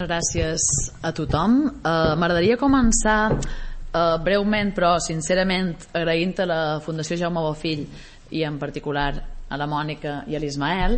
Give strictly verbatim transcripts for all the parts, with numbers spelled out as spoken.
Gràcies a tothom. Uh, M'agradaria començar uh, breument, però sincerament agraint a la Fundació Jaume Bofill i en particular a la Mònica i a l'Ismael,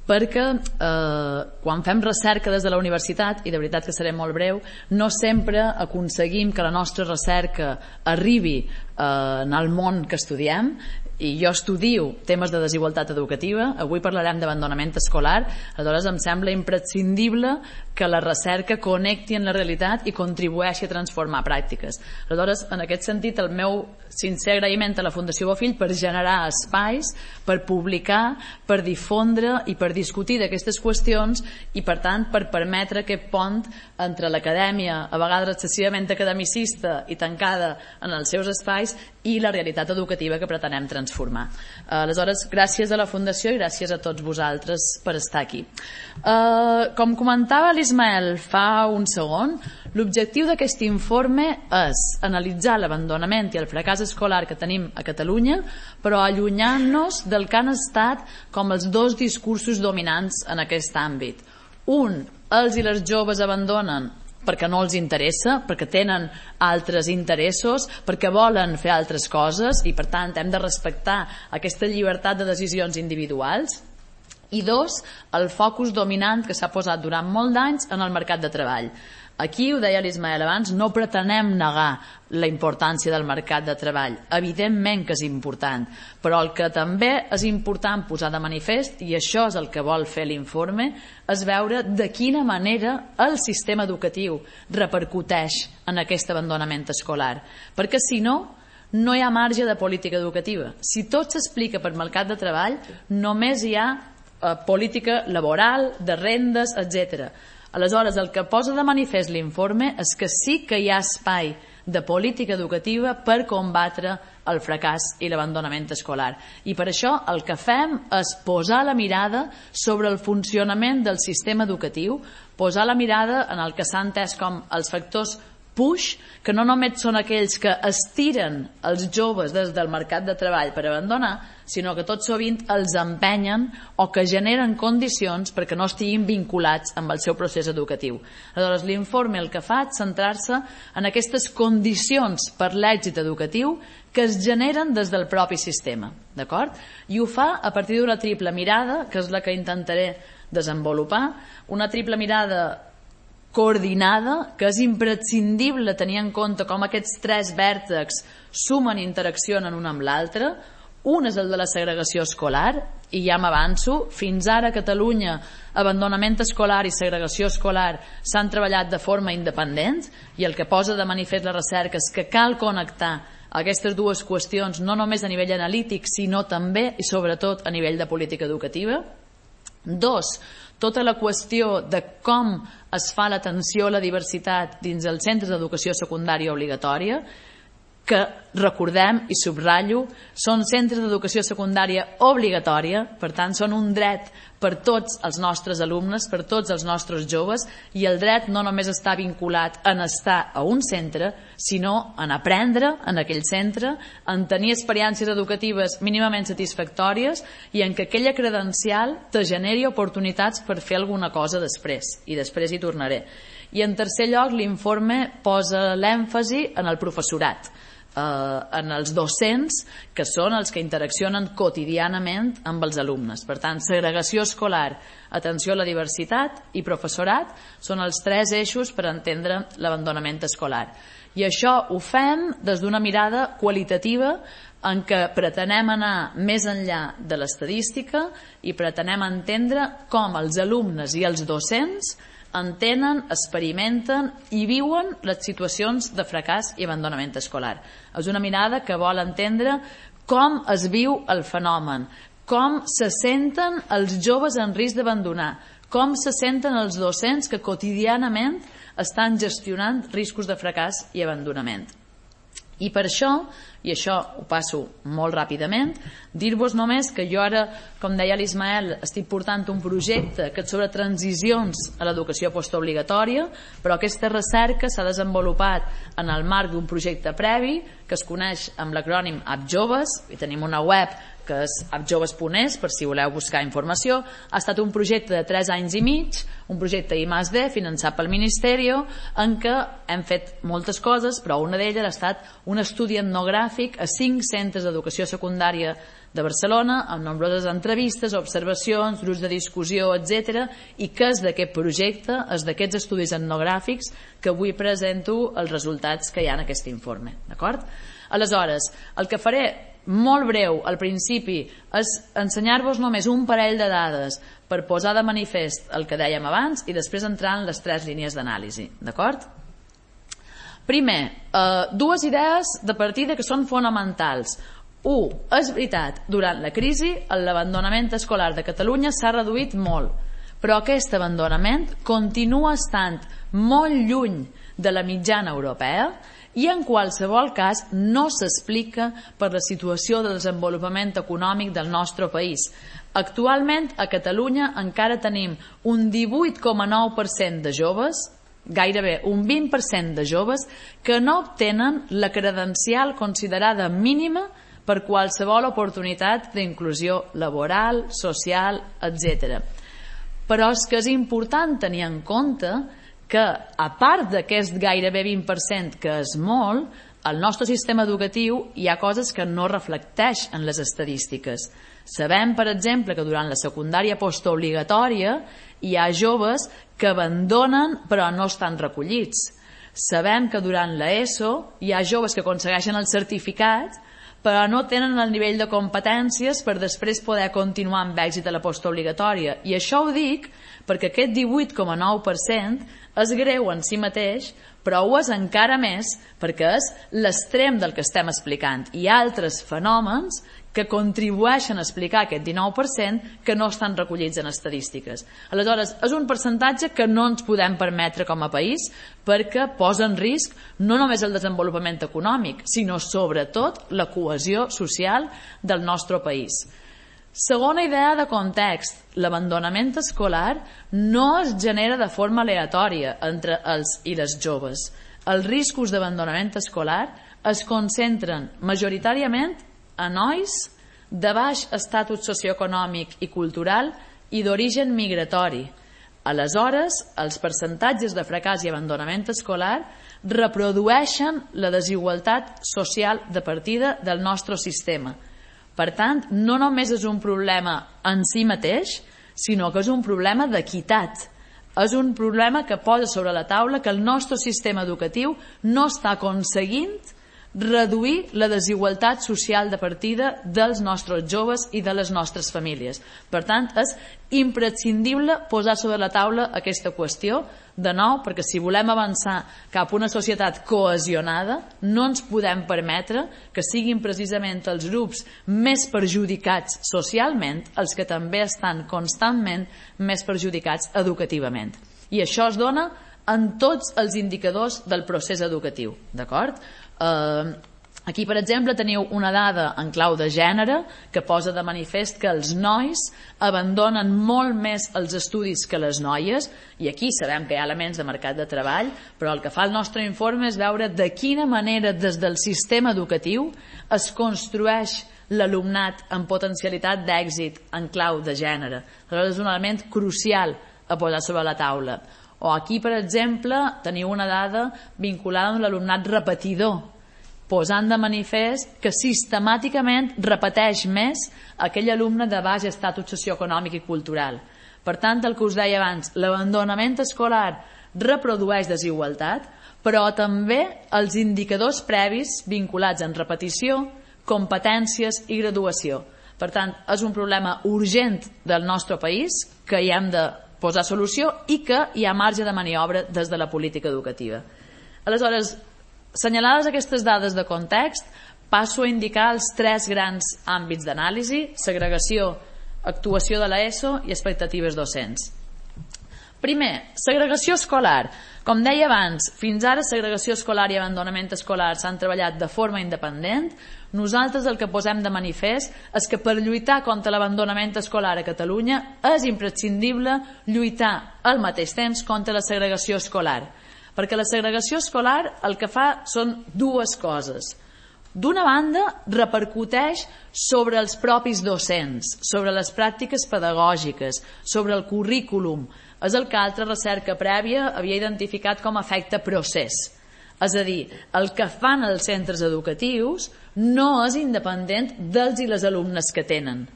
perquè eh, quan fem recerca des de la universitat, i de veritat que seré molt breu, no sempre aconseguim que la nostra recerca arribi eh, en el món que estudiem. I jo estudio temes de desigualtat educativa, avui parlarem d'abandonament escolar, aleshores em sembla imprescindible que la recerca connecti en la realitat i contribueixi a transformar pràctiques. Aleshores, en aquest sentit, el meu sincer agraïment a la Fundació Bofill per generar espais, per publicar, per difondre i per discutir d'aquestes qüestions i, per tant, per permetre aquest pont entre l'acadèmia, a vegades excessivament academicista i tancada en els seus espais, i la realitat educativa que pretenem transformar. Aleshores, gràcies a la Fundació i gràcies a tots vosaltres per estar aquí. Uh, com comentava l'Ismael fa un segon, l'objectiu d'aquest informe és analitzar l'abandonament i el fracàs escolar que tenim a Catalunya, però allunyant-nos del que han estat com els dos discursos dominants en aquest àmbit. Un, els i les joves abandonen perquè no els interessa, perquè tenen altres interessos, perquè volen fer altres coses i per tant hem de respectar aquesta llibertat de decisions individuals. I dos, el focus dominant que s'ha posat durant molt d'anys en el mercat de treball. Aquí, ho deia l'Ismael abans, no pretenem negar la importància del mercat de treball. Evidentment que és important, però el que també és important posar de manifest, i això és el que vol fer l'informe, és veure de quina manera el sistema educatiu repercuteix en aquest abandonament escolar. Perquè si no, no hi ha marge de política educativa. Si tot s'explica per mercat de treball, només hi ha eh, política laboral, de rendes, etcètera. Aleshores, el que posa de manifest l'informe és que sí que hi ha espai de política educativa per combatre el fracàs i l'abandonament escolar. I per això el que fem és posar la mirada sobre el funcionament del sistema educatiu, posar la mirada en el que s'ha entès com els factors push, que no només són aquells que estiren els joves des del mercat de treball per abandonar, sinó que tot sovint els empenyen o que generen condicions perquè no estiguin vinculats amb el seu procés educatiu. Aleshores, l'informe el que fa és centrar-se en aquestes condicions per l'èxit educatiu que es generen des del propi sistema, d'acord? I ho fa a partir d'una triple mirada, que és la que intentaré desenvolupar, una triple mirada coordinada, que és imprescindible tenir en compte com aquests tres vèrtexs sumen i interaccionen un amb l'altre. Un és el de la segregació escolar, i ja m'avanço, fins ara a Catalunya abandonament escolar i segregació escolar s'han treballat de forma independent, i el que posa de manifest la recerca és que cal connectar aquestes dues qüestions no només a nivell analític, sinó també i sobretot a nivell de política educativa. Dos, tota la qüestió de com es fa l'atenció a la diversitat dins els centres d'educació secundària obligatòria, que, recordem i subratllo, són centres d'educació secundària obligatòria, per tant són un dret per tots els nostres alumnes, per tots els nostres joves, i el dret no només està vinculat en estar a un centre, sinó en aprendre en aquell centre, en tenir experiències educatives mínimament satisfactòries i en que aquella credencial te generi oportunitats per fer alguna cosa després, i després hi tornaré. I en tercer lloc, l'informe posa l'èmfasi en el professorat, en els docents, que són els que interaccionen quotidianament amb els alumnes. Per tant, segregació escolar, atenció a la diversitat i professorat són els tres eixos per entendre l'abandonament escolar. I això ho fem des d'una mirada qualitativa en què pretenem anar més enllà de l'estadística i pretenem entendre com els alumnes i els docents entenen, experimenten i viuen les situacions de fracàs i abandonament escolar. És una mirada que vol entendre com es viu el fenomen, com se senten els joves en risc d'abandonar, com se senten els docents que quotidianament estan gestionant riscos de fracàs i abandonament. I per això, i això ho passo molt ràpidament, dir-vos només que jo ara, com deia l'Ismael, estic portant un projecte que és sobre transicions a l'educació postobligatòria, però aquesta recerca s'ha desenvolupat en el marc d'un projecte previ que es coneix amb l'acrònim App Joves, i tenim una web que és appjoves punt es, per si voleu buscar informació. Ha estat un projecte de tres anys i mig, un projecte I más D finançat pel Ministeri, en què hem fet moltes coses, però una d'elles ha estat un estudi etnogràfic a cinc centres d'educació secundària de Barcelona, amb nombroses entrevistes, observacions, grups de discussió, etcètera, i que és d'aquest projecte, és d'aquests estudis etnogràfics que avui presento els resultats que hi ha en aquest informe. D'acord? Aleshores, el que faré molt breu al principi és ensenyar-vos només un parell de dades per posar de manifest el que dèiem abans i després entrar en les tres línies d'anàlisi. D'acord? Primer, eh, dues idees de partida que són fonamentals. Un, és veritat, durant la crisi l'abandonament escolar de Catalunya s'ha reduït molt, però aquest abandonament continua estant molt lluny de la mitjana europea i en qualsevol cas no s'explica per la situació de desenvolupament econòmic del nostre país. Actualment a Catalunya encara tenim un divuit coma nou per cent de joves, gairebé un vint per cent de joves que no obtenen la credencial considerada mínima per qualsevol oportunitat d'inclusió laboral, social, etcètera. Però és que és important tenir en compte que, a part d'aquest gairebé vint per cent, que és molt, al nostre sistema educatiu hi ha coses que no reflecteix en les estadístiques. Sabem, per exemple, que durant la secundària postobligatòria hi ha joves que abandonen però no estan recollits. Sabem que durant l'ESO hi ha joves que aconsegueixen el certificat però no tenen el nivell de competències per després poder continuar amb èxit a la postobligatòria. I això ho dic perquè aquest divuit coma nou per cent és greu en si mateix, però ho és encara més perquè és l'extrem del que estem explicant. Hi ha altres fenòmens que contribueixen a explicar aquest dinou per cent que no estan recollits en estadístiques. Aleshores, és un percentatge que no ens podem permetre com a país perquè posa en risc no només el desenvolupament econòmic, sinó sobretot la cohesió social del nostre país. Segona idea de context, l'abandonament escolar no es genera de forma aleatòria entre els i les joves. Els riscos d'abandonament escolar es concentren majoritàriament a nois de baix estatus socioeconòmic i cultural i d'origen migratori. Aleshores, els percentatges de fracàs i abandonament escolar reprodueixen la desigualtat social de partida del nostre sistema. Per tant, no només és un problema en si mateix, sinó que és un problema d'equitat. És un problema que posa sobre la taula que el nostre sistema educatiu no està aconseguint reduir la desigualtat social de partida dels nostres joves i de les nostres famílies. Per tant, és imprescindible posar sobre la taula aquesta qüestió, de nou, perquè si volem avançar cap a una societat cohesionada, no ens podem permetre que siguin precisament els grups més perjudicats socialment els que també estan constantment més perjudicats educativament. I això es dona en tots els indicadors del procés educatiu, d'acord? Uh, aquí, per exemple, teniu una dada en clau de gènere que posa de manifest que els nois abandonen molt més els estudis que les noies, i aquí sabem que hi ha elements de mercat de treball, però el que fa el nostre informe és veure de quina manera des del sistema educatiu es construeix l'alumnat amb potencialitat d'èxit en clau de gènere. Aleshores, és un element crucial a posar sobre la taula. O aquí, per exemple, teniu una dada vinculada amb l'alumnat repetidor, posant de manifest que sistemàticament repeteix més aquell alumne de baix estatus socioeconòmic i cultural. Per tant, el que us deia abans, l'abandonament escolar reprodueix desigualtat, però també els indicadors previs vinculats en repetició, competències i graduació. Per tant, és un problema urgent del nostre país que hi hem de posar solució i que hi ha marge de maniobra des de la política educativa. Aleshores, assenyalades aquestes dades de context, passo a indicar els tres grans àmbits d'anàlisi: segregació, actuació de l'ESO i expectatives docents. Primer, segregació escolar. Com deia abans, fins ara segregació escolar i abandonament escolar s'han treballat de forma independent. Nosaltres el que posem de manifest és que per lluitar contra l'abandonament escolar a Catalunya és imprescindible lluitar al mateix temps contra la segregació escolar, perquè la segregació escolar el que fa són dues coses. d'una banda, repercuteix sobre els propis docents, sobre les pràctiques pedagògiques, sobre el currículum. És el que altra recerca prèvia havia identificat com a efecte procés. És a dir, el que fan els centres educatius no és independent dels i les alumnes que tenen.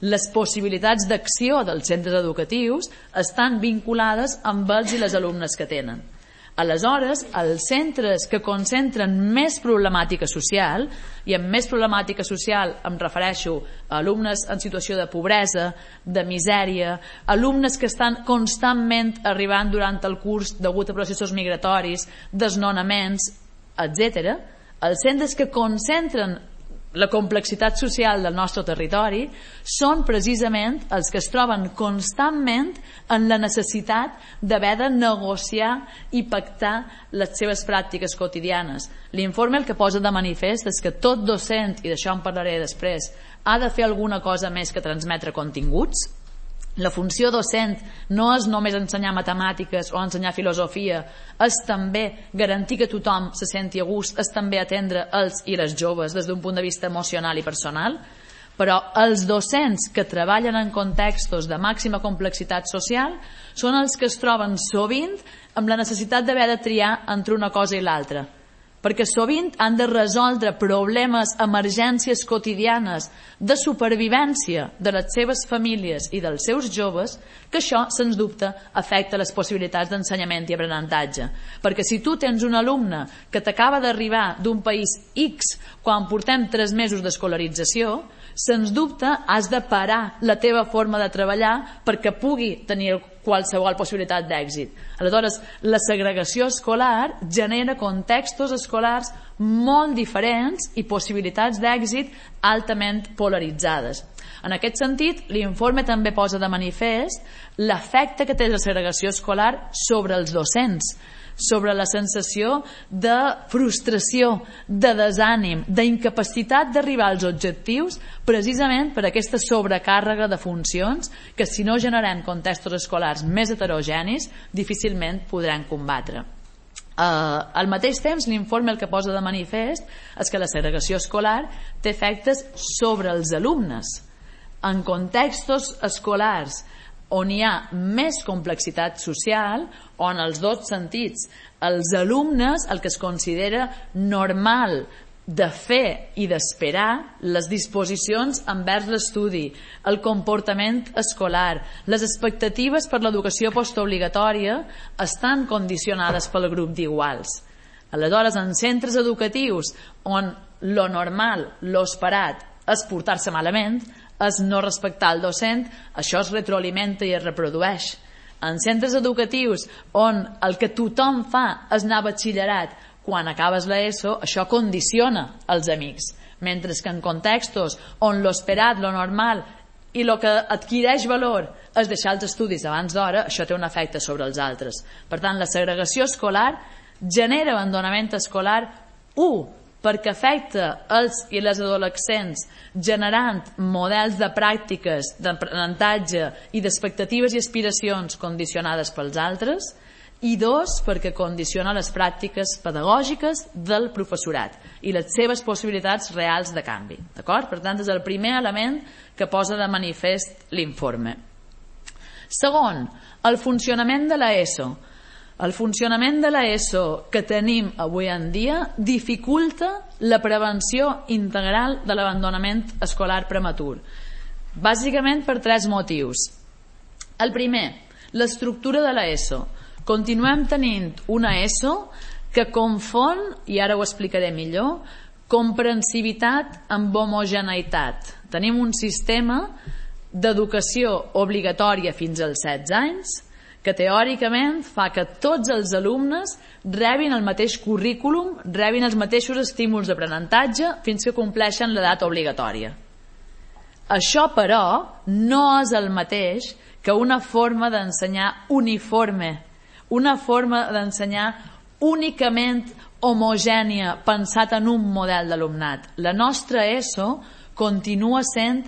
Les possibilitats d'acció dels centres educatius estan vinculades amb els i les alumnes que tenen. Aleshores, els centres que concentren més problemàtica social, i amb més problemàtica social em refereixo a alumnes en situació de pobresa, de misèria, alumnes que estan constantment arribant durant el curs degut a processos migratoris, desnonaments, etcètera, els centres que concentren la complexitat social del nostre territori són precisament els que es troben constantment en la necessitat d'haver de negociar i pactar les seves pràctiques quotidianes. L'informe el que posa de manifest és que tot docent, i d'això en parlaré després, ha de fer alguna cosa més que transmetre continguts. La funció docent no és només ensenyar matemàtiques o ensenyar filosofia, és també garantir que tothom se senti a gust, és també atendre els i les joves des d'un punt de vista emocional i personal, però els docents que treballen en contextos de màxima complexitat social són els que es troben sovint amb la necessitat d'haver de triar entre una cosa i l'altra, perquè sovint han de resoldre problemes, emergències quotidianes de supervivència de les seves famílies i dels seus joves, que això, sens dubte, afecta les possibilitats d'ensenyament i aprenentatge. Perquè si tu tens un alumne que t'acaba d'arribar d'un país X quan portem tres mesos d'escolarització, sens dubte has de parar la teva forma de treballar perquè pugui tenir qualsevol possibilitat d'èxit. Aleshores, la segregació escolar genera contextos escolars molt diferents i possibilitats d'èxit altament polaritzades. En aquest sentit, l'informe també posa de manifest l'efecte que té la segregació escolar sobre els docents, sobre la sensació de frustració, de desànim, d'incapacitat d'arribar als objectius, precisament per aquesta sobrecàrrega de funcions que, si no generem contextos escolars més heterogenis, difícilment podran combatre. Uh, al mateix temps, l'informe el que posa de manifest és que la segregació escolar té efectes sobre els alumnes. En contextos escolars on hi ha més complexitat social, o en els dos sentits, els alumnes, el que es considera normal de fer i d'esperar, les disposicions envers l'estudi, el comportament escolar, les expectatives per l'educació postobligatòria estan condicionades pel grup d'iguals. Aleshores, en centres educatius on lo normal, lo esperat, és portar-se malament, és no respectar el docent, això es retroalimenta i es reprodueix. En centres educatius on el que tothom fa és anar a batxillerat quan acabes l'ESO, això condiciona els amics. Mentre que en contextos on l'esperat, lo normal i el que adquireix valor és deixar els estudis abans d'hora, això té un efecte sobre els altres. Per tant, la segregació escolar genera abandonament escolar, u, perquè afecta els i les adolescents generant models de pràctiques d'aprenentatge i d'expectatives i aspiracions condicionades pels altres, i dos, perquè condiciona les pràctiques pedagògiques del professorat i les seves possibilitats reals de canvi. D'acord? Per tant, és el primer element que posa de manifest l'informe. Segon, el funcionament de l'ESO. El funcionament de l'ESO que tenim avui en dia dificulta la prevenció integral de l'abandonament escolar prematur. Bàsicament per tres motius. El primer, l'estructura de l'ESO. Continuem tenint una ESO que confon, i ara ho explicaré millor, comprensivitat amb homogeneïtat. Tenim un sistema d'educació obligatòria fins als setze anys que teòricament fa que tots els alumnes rebin el mateix currículum, rebin els mateixos estímuls d'aprenentatge fins que compleixen l'edat obligatòria. Això, però, no és el mateix que una forma d'ensenyar uniforme, una forma d'ensenyar únicament homogènia, pensat en un model d'alumnat. La nostra ESO continua sent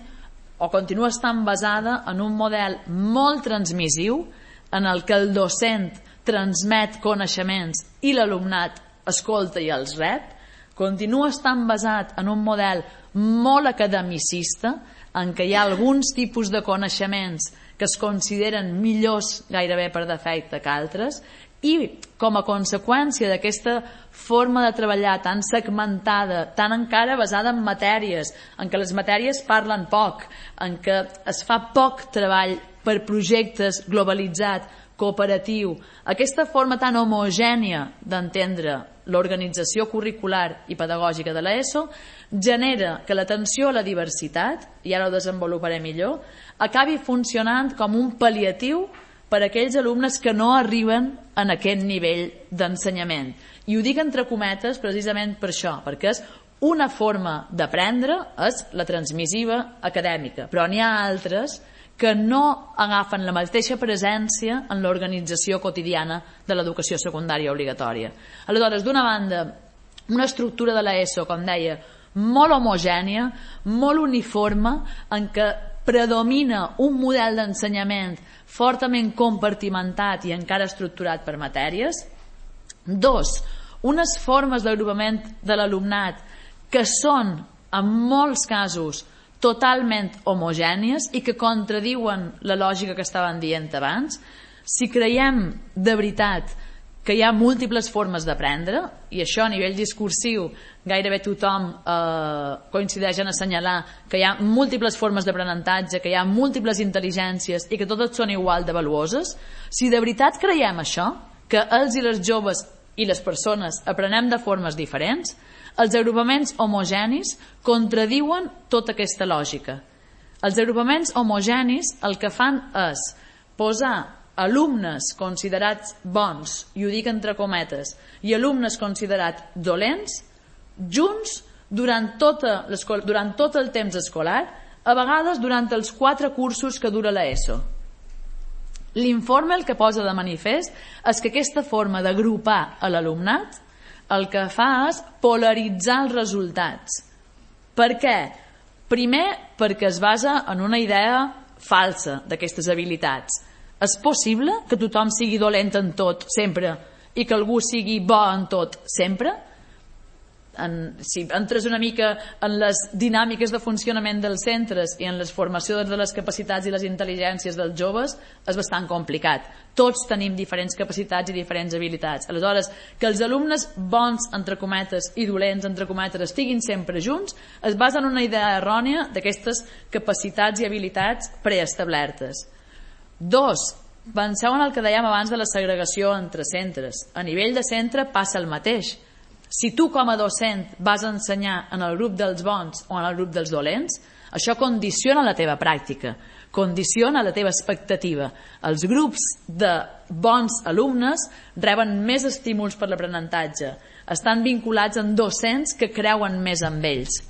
o continua estant basada en un model molt transmissiu en el que el docent transmet coneixements i l'alumnat escolta i els rep, continua estant basat en un model molt academicista, en què hi ha alguns tipus de coneixements que es consideren millors gairebé per defecte que altres, i com a conseqüència d'aquesta forma de treballar tan segmentada, tan encara basada en matèries, en què les matèries parlen poc, en què es fa poc treball per projectes globalitzat, cooperatiu, aquesta forma tan homogènia d'entendre l'organització curricular i pedagògica de l'ESO genera que l'atenció a la diversitat, i ara ho desenvoluparé millor, acabi funcionant com un pal·liatiu per a aquells alumnes que no arriben en aquest nivell d'ensenyament. I ho dic entre cometes precisament per això, perquè és una forma d'aprendre, és la transmissiva acadèmica, però n'hi ha altres que no agafen la mateixa presència en l'organització quotidiana de l'educació secundària obligatòria. Aleshores, d'una banda, una estructura de l'ESO, com deia, molt homogènia, molt uniforme, en què predomina un model d'ensenyament fortament compartimentat i encara estructurat per matèries. Dos, unes formes d'agrupament de l'alumnat que són, en molts casos, totalment homogènies i que contradiuen la lògica que estàvem dient abans. Si creiem de veritat que hi ha múltiples formes d'aprendre, i això a nivell discursiu gairebé tothom eh, coincideix en assenyalar que hi ha múltiples formes d'aprenentatge, que hi ha múltiples intel·ligències i que totes són igual de valuoses, si de veritat creiem això, que els i les joves i les persones aprenem de formes diferents, els agrupaments homogenis contradiuen tota aquesta lògica. Els agrupaments homogenis el que fan és posar alumnes considerats bons, i ho dic entre cometes, i alumnes considerats dolents, junts durant, tota durant tot el temps escolar, a vegades durant els quatre cursos que dura l'ESO. L'informe el que posa de manifest és que aquesta forma d'agrupar a l'alumnat el que fa és polaritzar els resultats. Per què? Primer, perquè es basa en una idea falsa d'aquestes habilitats. És possible que tothom sigui dolent en tot sempre i que algú sigui bo en tot sempre? En, si entres una mica en les dinàmiques de funcionament dels centres i en les formacions de les capacitats i les intel·ligències dels joves, és bastant complicat. Tots tenim diferents capacitats i diferents habilitats. Aleshores, que els alumnes bons, entre cometes, i dolents, entre cometes, estiguin sempre junts, es basa en una idea errònia d'aquestes capacitats i habilitats preestablertes. Dos, penseu en el que dèiem abans de la segregació entre centres. A nivell de centre passa el mateix. Si tu com a docent vas ensenyar en el grup dels bons o en el grup dels dolents, això condiciona la teva pràctica, condiciona la teva expectativa. Els grups de bons alumnes reben més estímuls per l'aprenentatge, estan vinculats amb docents que creuen més en ells.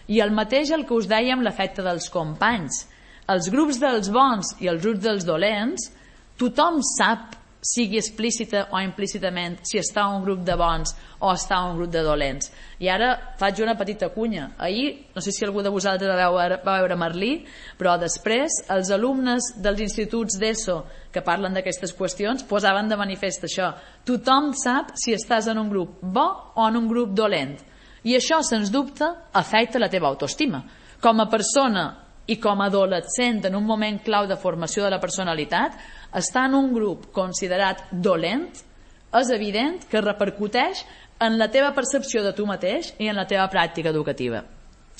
I el mateix el que us dèiem l'efecte dels companys. Els grups dels bons i els grups dels dolents, tothom sap, sigui explícita o implícitament, si està un grup de bons o està un grup de dolents. I ara faig una petita cunya. Ahir, no sé si algú de vosaltres va veure, va veure Merlí, però després els alumnes dels instituts d'ESO que parlen d'aquestes qüestions posaven de manifest això. Tothom sap si estàs en un grup bo o en un grup dolent. I això, sens dubte, afecta la teva autoestima. Com a persona i com a adolescent en un moment clau de formació de la personalitat, estar en un grup considerat dolent és evident que repercuteix en la teva percepció de tu mateix i en la teva pràctica educativa.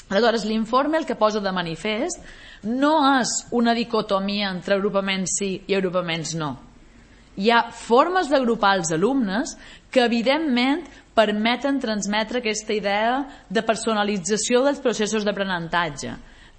Aleshores, l'informe el que posa de manifest no és una dicotomia entre agrupaments sí i agrupaments no. Hi ha formes d'agrupar els alumnes que evidentment permeten transmetre aquesta idea de personalització dels processos d'aprenentatge.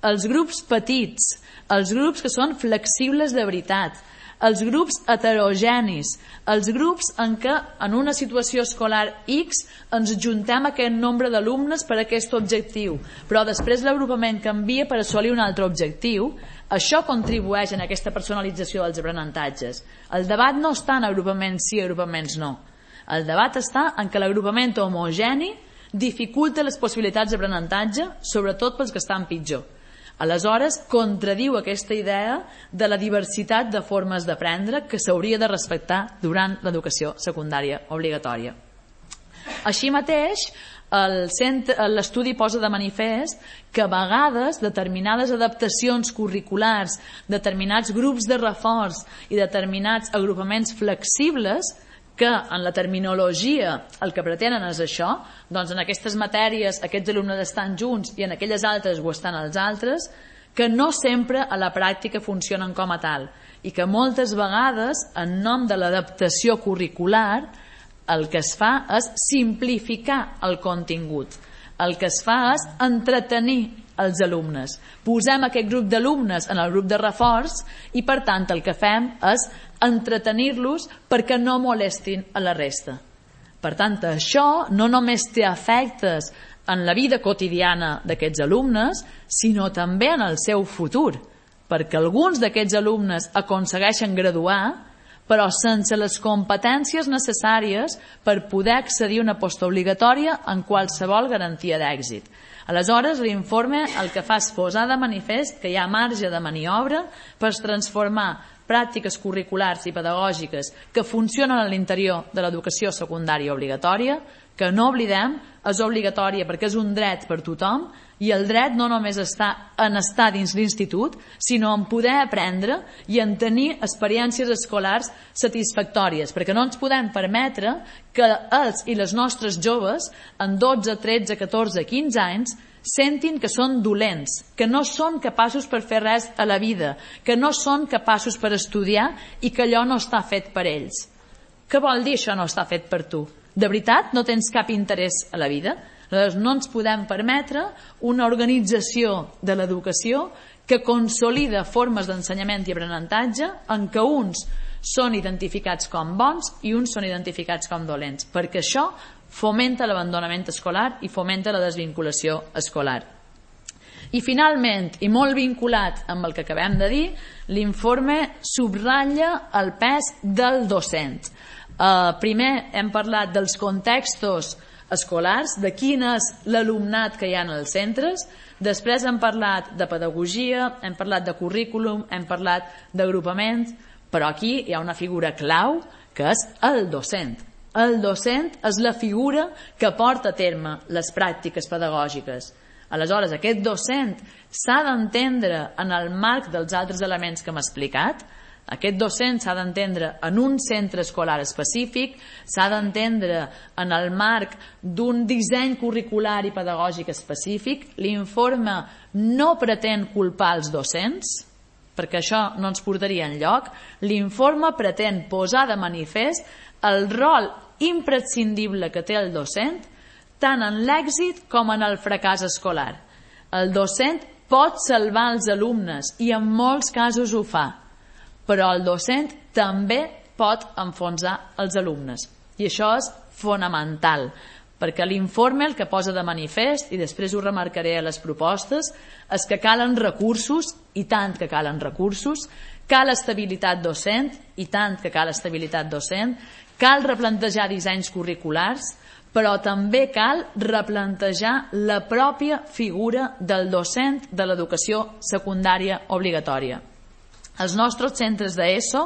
Els grups petits, els grups que són flexibles de veritat, els grups heterogenis, els grups en què en una situació escolar X ens juntem aquest nombre d'alumnes per a aquest objectiu, però després l'agrupament canvia per assolir un altre objectiu, això contribueix en aquesta personalització dels aprenentatges. El debat no està en agrupaments sí i agrupaments no. El debat està en què l'agrupament homogeni dificulta les possibilitats d'aprenentatge, sobretot pels que estan pitjor. Aleshores, contradiu aquesta idea de la diversitat de formes d'aprendre que s'hauria de respectar durant l'educació secundària obligatòria. Així mateix, l'estudi posa de manifest que a vegades determinades adaptacions curriculars, determinats grups de reforç i determinats agrupaments flexibles, que en la terminologia el que pretenen és això, doncs en aquestes matèries aquests alumnes estan junts i en aquelles altres ho estan els altres, que no sempre a la pràctica funcionen com a tal i que moltes vegades en nom de l'adaptació curricular el que es fa és simplificar el contingut, el que es fa és entretenir els alumnes. Posem aquest grup d'alumnes en el grup de reforç i per tant el que fem és entretenir-los perquè no molestin a la resta. Per tant, això no només té efectes en la vida quotidiana d'aquests alumnes, sinó també en el seu futur, perquè alguns d'aquests alumnes aconsegueixen graduar però sense les competències necessàries per poder accedir a una postobligatòria en qualsevol garantia d'èxit. Aleshores, l'informe el que fa és posar de manifest que hi ha marge de maniobra per transformar pràctiques curriculars i pedagògiques que funcionen a l'interior de l'educació secundària obligatòria, que no oblidem, és obligatòria perquè és un dret per tothom i el dret no només està en estar dins l'institut, sinó en poder aprendre i en tenir experiències escolars satisfactòries, perquè no ens podem permetre que els i les nostres joves en dotze, tretze, catorze, quinze anys sentin que són dolents, que no són capaços per fer res a la vida, que no són capaços per estudiar i que allò no està fet per ells. Què vol dir això no està fet per tu? De veritat no tens cap interès a la vida? Aleshores, no ens podem permetre una organització de l'educació que consolida formes d'ensenyament i aprenentatge en què uns són identificats com bons i uns són identificats com dolents, perquè això fomenta l'abandonament escolar i fomenta la desvinculació escolar. I finalment, i molt vinculat amb el que acabem de dir, l'informe subratlla el pes del docent. Uh, primer hem parlat dels contextos escolars, de quin és l'alumnat que hi ha als centres, després hem parlat de pedagogia, hem parlat de currículum, hem parlat d'agrupaments, però aquí hi ha una figura clau que és el docent. El docent és la figura que porta a terme les pràctiques pedagògiques. Aleshores, aquest docent s'ha d'entendre en el marc dels altres elements que hem explicat. Aquest docent s'ha d'entendre en un centre escolar específic, s'ha d'entendre en el marc d'un disseny curricular i pedagògic específic. L'informe no pretén culpar els docents, perquè això no ens portaria enlloc. L'informe pretén posar de manifest el rol imprescindible que té el docent tant en l'èxit com en el fracàs escolar. El docent pot salvar els alumnes i en molts casos ho fa, però el docent també pot enfonsar els alumnes. I això és fonamental, perquè l'informe el que posa de manifest, i després ho remarcaré a les propostes, és que calen recursos, i tant que calen recursos, cal estabilitat docent, i tant que cal estabilitat docent, cal replantejar dissenys curriculars, però també cal replantejar la pròpia figura del docent de l'educació secundària obligatòria. Als nostres centres d'ESO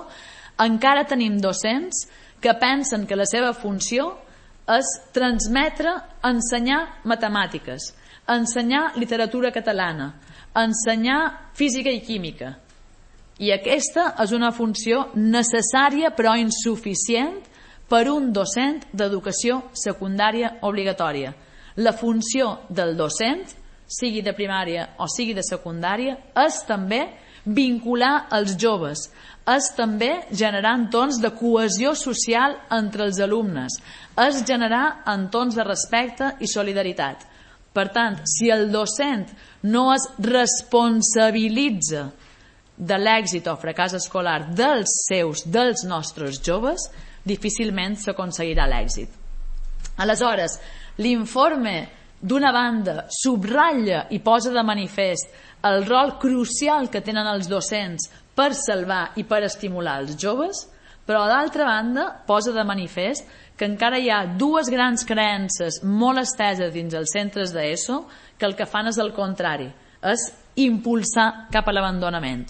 encara tenim docents que pensen que la seva funció és transmetre, ensenyar matemàtiques, ensenyar literatura catalana, ensenyar física i química. I aquesta és una funció necessària però insuficient per un docent d'educació secundària obligatòria. La funció del docent, sigui de primària o sigui de secundària, és també vincular els joves, és també generar entorns de cohesió social entre els alumnes, és generar entorns de respecte i solidaritat. Per tant, si el docent no es responsabilitza de l'èxit o fracàs escolar dels seus, dels nostres joves, difícilment s'aconseguirà l'èxit. Aleshores, l'informe, d'una banda, subratlla i posa de manifest el rol crucial que tenen els docents per salvar i per estimular els joves, però d'altra banda posa de manifest que encara hi ha dues grans creences molt esteses dins els centres d'ESO que el que fan és el contrari, és impulsar cap a l'abandonament.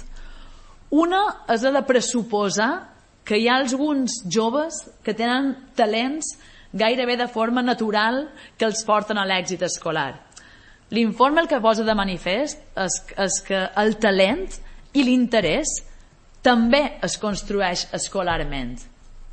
Una és la de pressuposar que hi ha alguns joves que tenen talents gairebé de forma natural que els porten a l'èxit escolar. L'informe el que posa de manifest és, és que el talent i l'interès també es construeix escolarment.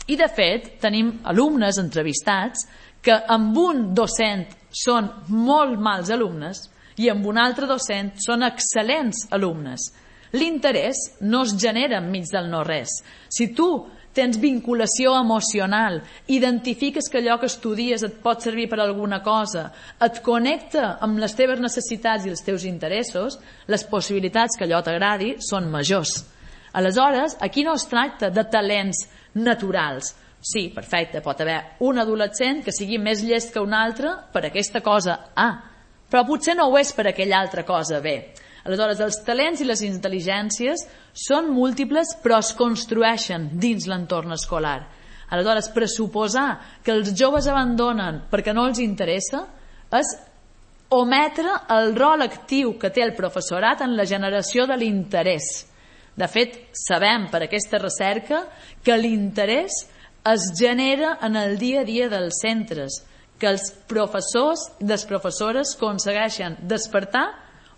I de fet tenim alumnes entrevistats que amb un docent són molt mals alumnes i amb un altre docent són excel·lents alumnes. L'interès no es genera enmig del no-res. Si tu tens vinculació emocional, identifiques que allò que estudies et pot servir per alguna cosa, et connecta amb les teves necessitats i els teus interessos, les possibilitats que allò t'agradi són majors. Aleshores, aquí no es tracta de talents naturals. Sí, perfecte, pot haver un adolescent que sigui més llest que un altre per aquesta cosa A, però potser no ho és per aquella altra cosa B. Aleshores, els talents i les intel·ligències són múltiples però es construeixen dins l'entorn escolar. Aleshores, pressuposar que els joves abandonen perquè no els interessa és ometre el rol actiu que té el professorat en la generació de l'interès. De fet, sabem per aquesta recerca que l'interès es genera en el dia a dia dels centres, que els professors i les professores aconsegueixen despertar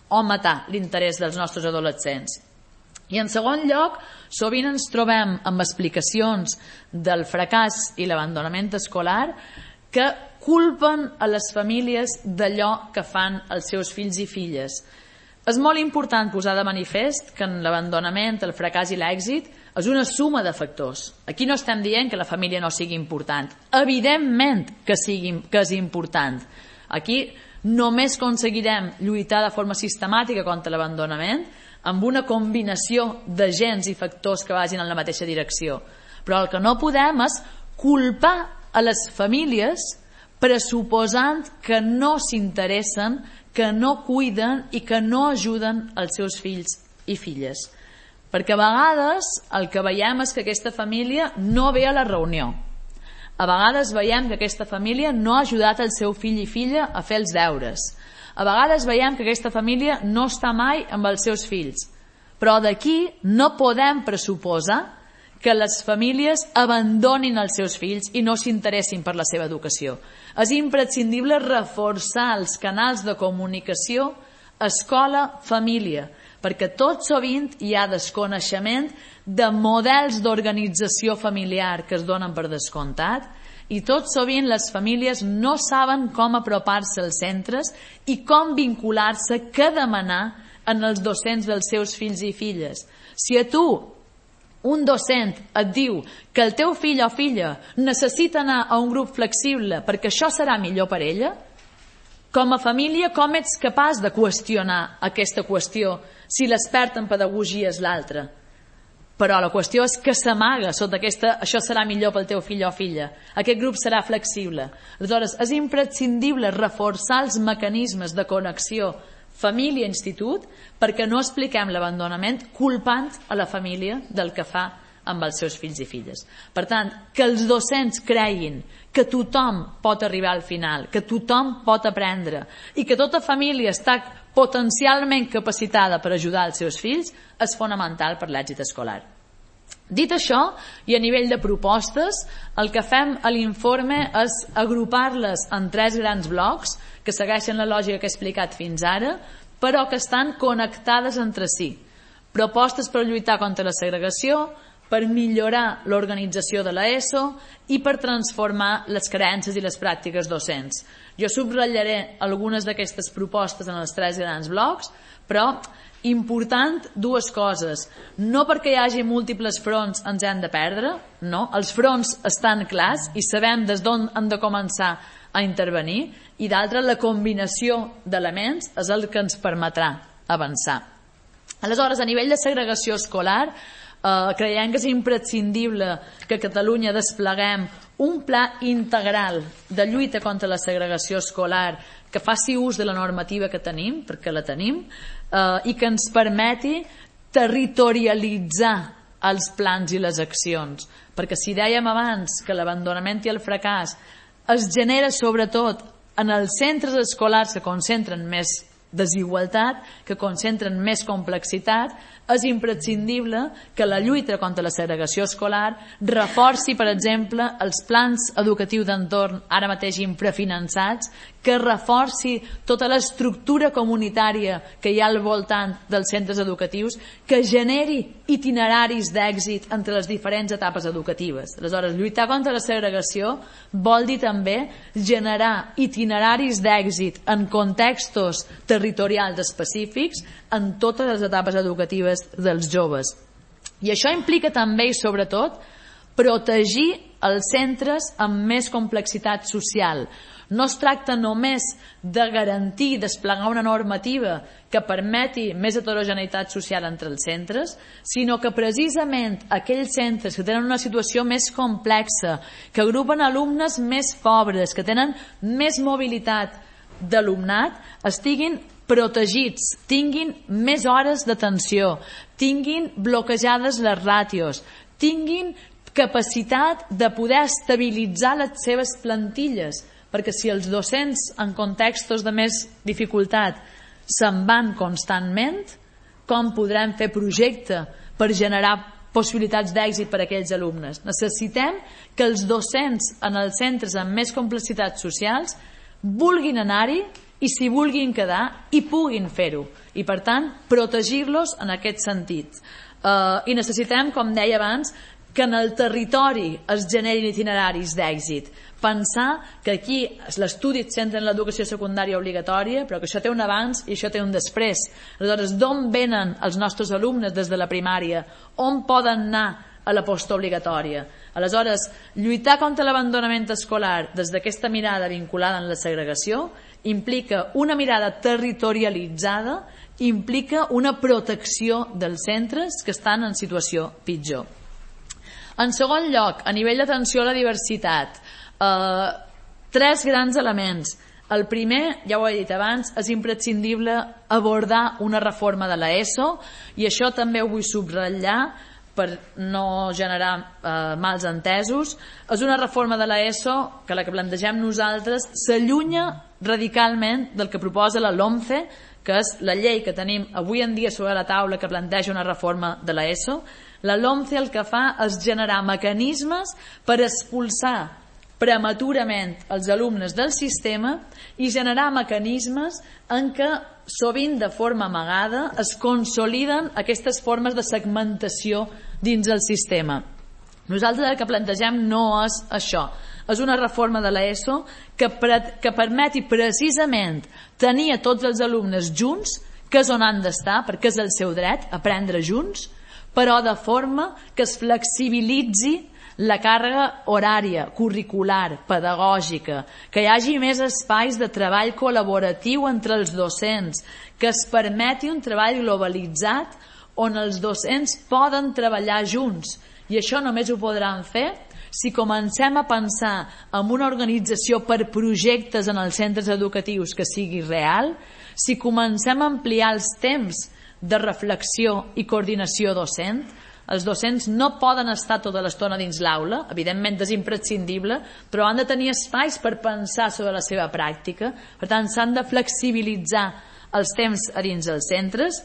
o matar l'interès dels nostres adolescents. I en segon lloc, sovint ens trobem amb explicacions del fracàs i l'abandonament escolar que culpen a les famílies d'allò que fan els seus fills i filles. És molt important posar de manifest que en l'abandonament, el fracàs i l'èxit és una suma de factors. Aquí no estem dient que la família no sigui important. Evidentment que, sigui, que és important. Aquí només aconseguirem lluitar de forma sistemàtica contra l'abandonament amb una combinació d'agents i factors que vagin en la mateixa direcció. Però el que no podem és culpar a les famílies pressuposant que no s'interessen, que no cuiden i que no ajuden els seus fills i filles. Perquè a vegades el que veiem és que aquesta família no ve a la reunió. A vegades veiem que aquesta família no ha ajudat el seu fill i filla a fer els deures. A vegades veiem que aquesta família no està mai amb els seus fills. Però d'aquí no podem pressuposar que les famílies abandonin els seus fills i no s'interessin per la seva educació. És imprescindible reforçar els canals de comunicació escola-família, perquè tot sovint hi ha desconeixement de models d'organització familiar que es donen per descomptat i tot sovint les famílies no saben com apropar-se als centres i com vincular-se, què demanar en els docents dels seus fills i filles. Si a tu un docent et diu que el teu fill o filla necessita anar a un grup flexible perquè això serà millor per ella, com a família com ets capaç de qüestionar aquesta qüestió si l'expert en pedagogia és l'altre? Però la qüestió és que s'amaga sota aquesta això serà millor pel teu fill o filla, aquest grup serà flexible. Aleshores, és imprescindible reforçar els mecanismes de connexió família-institut perquè no expliquem l'abandonament culpant a la família del que fa amb els seus fills i filles. Per tant, que els docents creguin que tothom pot arribar al final, que tothom pot aprendre i que tota família està potencialment capacitada per ajudar els seus fills és fonamental per l'èxit escolar. Dit això, i a nivell de propostes, el que fem a l'informe és agrupar-les en tres grans blocs que segueixen la lògica que he explicat fins ara, però que estan connectades entre si. Propostes per lluitar contra la segregació, per millorar l'organització de l'ESO i per transformar les creences i les pràctiques docents. Jo subratllaré algunes d'aquestes propostes en els tres grans blocs, però important dues coses. No perquè hi hagi múltiples fronts ens hem de perdre, no, els fronts estan clars i sabem des d'on hem de començar a intervenir, i d'altra, la combinació d'elements és el que ens permetrà avançar. Aleshores, a nivell de segregació escolar, eh, creiem que és imprescindible que a Catalunya despleguem un pla integral de lluita contra la segregació escolar que faci ús de la normativa que tenim, perquè la tenim, eh, i que ens permeti territorialitzar els plans i les accions. Perquè si dèiem abans que l'abandonament i el fracàs es genera sobretot en els centres escolars que concentren més desigualtat, que concentren més complexitat, és imprescindible que la lluita contra la segregació escolar reforci, per exemple, els plans educatius d'entorn ara mateix infrafinançats, que reforci tota l'estructura comunitària que hi ha al voltant dels centres educatius, que generi itineraris d'èxit entre les diferents etapes educatives. Aleshores, lluitar contra la segregació vol dir també generar itineraris d'èxit en contextos territorials específics en totes les etapes educatives dels joves. I això implica també i sobretot protegir els centres amb més complexitat social. No es tracta només de garantir i desplegar una normativa que permeti més heterogeneïtat social entre els centres, sinó que precisament aquells centres que tenen una situació més complexa, que agrupen alumnes més pobres, que tenen més mobilitat d'alumnat, estiguin protegits, tinguin més hores d'atenció, tinguin bloquejades les ràtios, tinguin capacitat de poder estabilitzar les seves plantilles, perquè si els docents en contextos de més dificultat se'n van constantment, com podrem fer projecte per generar possibilitats d'èxit per a aquells alumnes? Necessitem que els docents en els centres amb més complexitats socials vulguin anar-hi i s'hi vulguin quedar i puguin fer-ho, i per tant protegir-los en aquest sentit. Uh, i necessitem, com deia abans, que en el territori es generin itineraris d'èxit. Pensar que aquí l'estudi es centra en l'educació secundària obligatòria, però que això té un abans i això té un després. Aleshores, d'on venen els nostres alumnes des de la primària? On poden anar a la postobligatòria? Aleshores, lluitar contra l'abandonament escolar des d'aquesta mirada vinculada en la segregació implica una mirada territorialitzada, implica una protecció dels centres que estan en situació pitjor. En segon lloc, a nivell d'atenció a la diversitat, eh, tres grans elements. El primer, ja ho he dit abans, és imprescindible abordar una reforma de l'ESO, i això també ho vull subratllar per no generar eh, mals entesos. És una reforma de l'ESO que la que plantegem nosaltres s'allunya radicalment del que proposa la LOMCE, que és la llei que tenim avui en dia sobre la taula que planteja una reforma de l'ESO. La LOMCE el que fa és generar mecanismes per expulsar prematurament els alumnes del sistema i generar mecanismes en què sovint de forma amagada es consoliden aquestes formes de segmentació dins el sistema. Nosaltres el que plantegem no és això, és una reforma de l'ESO que, que permeti precisament tenir a tots els alumnes junts, que és on han d'estar, perquè és el seu dret, aprendre junts, però de forma que es flexibilitzi la càrrega horària, curricular, pedagògica, que hi hagi més espais de treball col·laboratiu entre els docents, que es permeti un treball globalitzat on els docents poden treballar junts. I això només ho podran fer si comencem a pensar en una organització per projectes en els centres educatius que sigui real, si comencem a ampliar els temps de reflexió i coordinació docent. Els docents no poden estar tota l'estona dins l'aula, evidentment és imprescindible, però han de tenir espais per pensar sobre la seva pràctica. Per tant, s'han de flexibilitzar els temps a dins els centres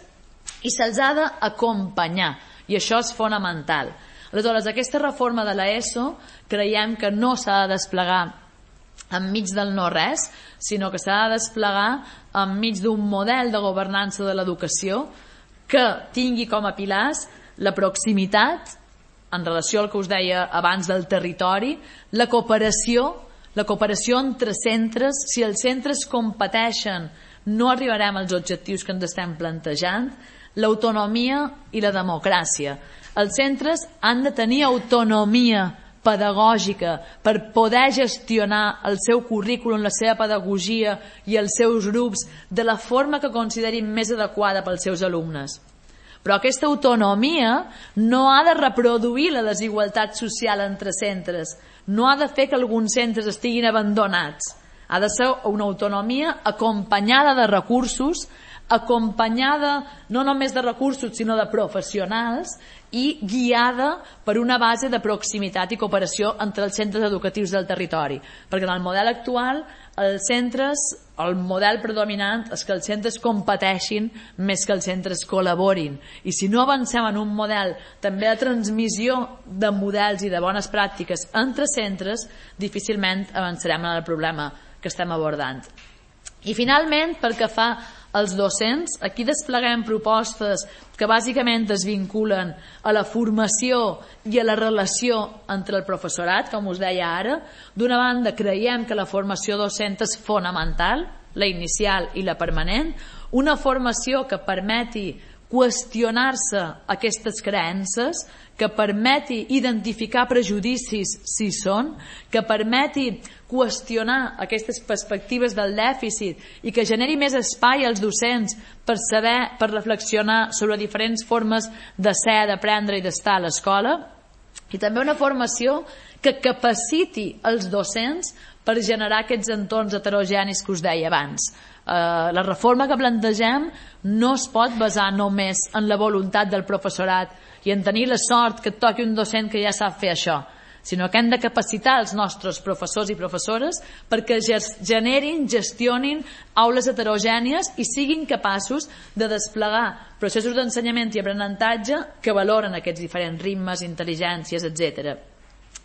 i se'ls ha d'acompanyar, i això és fonamental. Aleshores, aquesta reforma de l'ESO creiem que no s'ha de desplegar enmig del no-res, sinó que s'ha de desplegar enmig d'un model de governança de l'educació que tingui com a pilars la proximitat, en relació al que us deia abans del territori, la cooperació, la cooperació entre centres. Si els centres competeixen, no arribarem als objectius que ens estem plantejant, l'autonomia i la democràcia. Els centres han de tenir autonomia pedagògica per poder gestionar el seu currículum, la seva pedagogia i els seus grups de la forma que considerin més adequada pels seus alumnes. Però aquesta autonomia no ha de reproduir la desigualtat social entre centres, no ha de fer que alguns centres estiguin abandonats. Ha de ser una autonomia acompanyada de recursos, acompanyada no només de recursos sinó de professionals i guiada per una base de proximitat i cooperació entre els centres educatius del territori, perquè en el model actual els centres, el model predominant és que els centres competeixin més que els centres col·laborin, i si no avancem en un model també de transmissió de models i de bones pràctiques entre centres, difícilment avançarem en el problema que estem abordant. I finalment, pel que fa als docents, aquí despleguem propostes que bàsicament es vinculen a la formació i a la relació entre el professorat, com us deia ara. D'una banda, creiem que la formació docent és fonamental, la inicial i la permanent, una formació que permeti qüestionar-se aquestes creences, que permeti identificar prejudicis si són, que permeti qüestionar aquestes perspectives del dèficit i que generi més espai als docents per saber, per reflexionar sobre diferents formes de ser, d'aprendre i d'estar a l'escola, i també una formació que capaciti els docents per generar aquests entorns heterogenis que us deia abans. Uh, la reforma que plantegem no es pot basar només en la voluntat del professorat i en tenir la sort que et toqui un docent que ja sap fer això, sinó que hem de capacitar els nostres professors i professores perquè generin, gestionin aules heterogènies i siguin capaços de desplegar processos d'ensenyament i aprenentatge que valoren aquests diferents ritmes, intel·ligències, etcètera.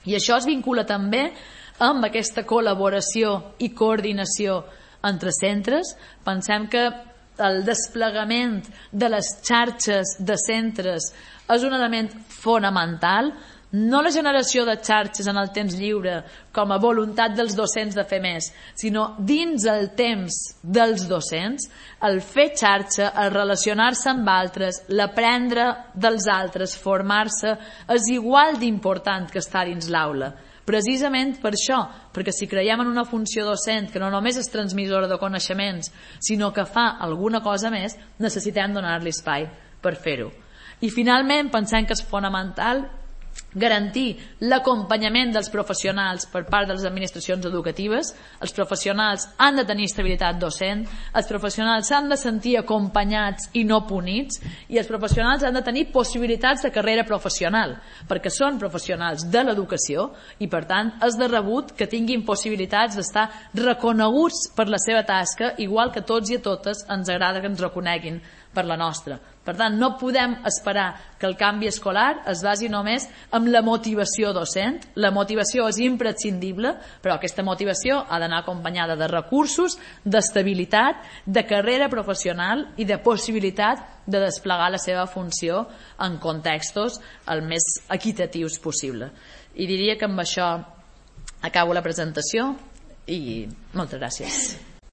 I això es vincula també amb aquesta col·laboració i coordinació entre centres. Pensem que el desplegament de les xarxes de centres és un element fonamental, no la generació de xarxes en el temps lliure com a voluntat dels docents de fer més, sinó dins el temps dels docents, el fer xarxa, el relacionar-se amb altres, l'aprendre dels altres, formar-se, és igual d'important que estar dins l'aula. Precisament per això, perquè si creiem en una funció docent que no només és transmissora de coneixements, sinó que fa alguna cosa més, necessitem donar-li espai per fer-ho. I finalment pensem que és fonamental garantir l'acompanyament dels professionals per part de les administracions educatives. Els professionals han de tenir estabilitat docent, els professionals s'han de sentir acompanyats i no punits, i els professionals han de tenir possibilitats de carrera professional, perquè són professionals de l'educació i per tant és de rebut que tinguin possibilitats d'estar reconeguts per la seva tasca, igual que tots i a totes ens agrada que ens reconeguin per la nostra. Per tant, no podem esperar que el canvi escolar es basi només en la motivació docent. La motivació és imprescindible, però aquesta motivació ha d'anar acompanyada de recursos, d'estabilitat, de carrera professional i de possibilitat de desplegar la seva funció en contextos el més equitatius possible. I diria que amb això acabo la presentació i moltes gràcies.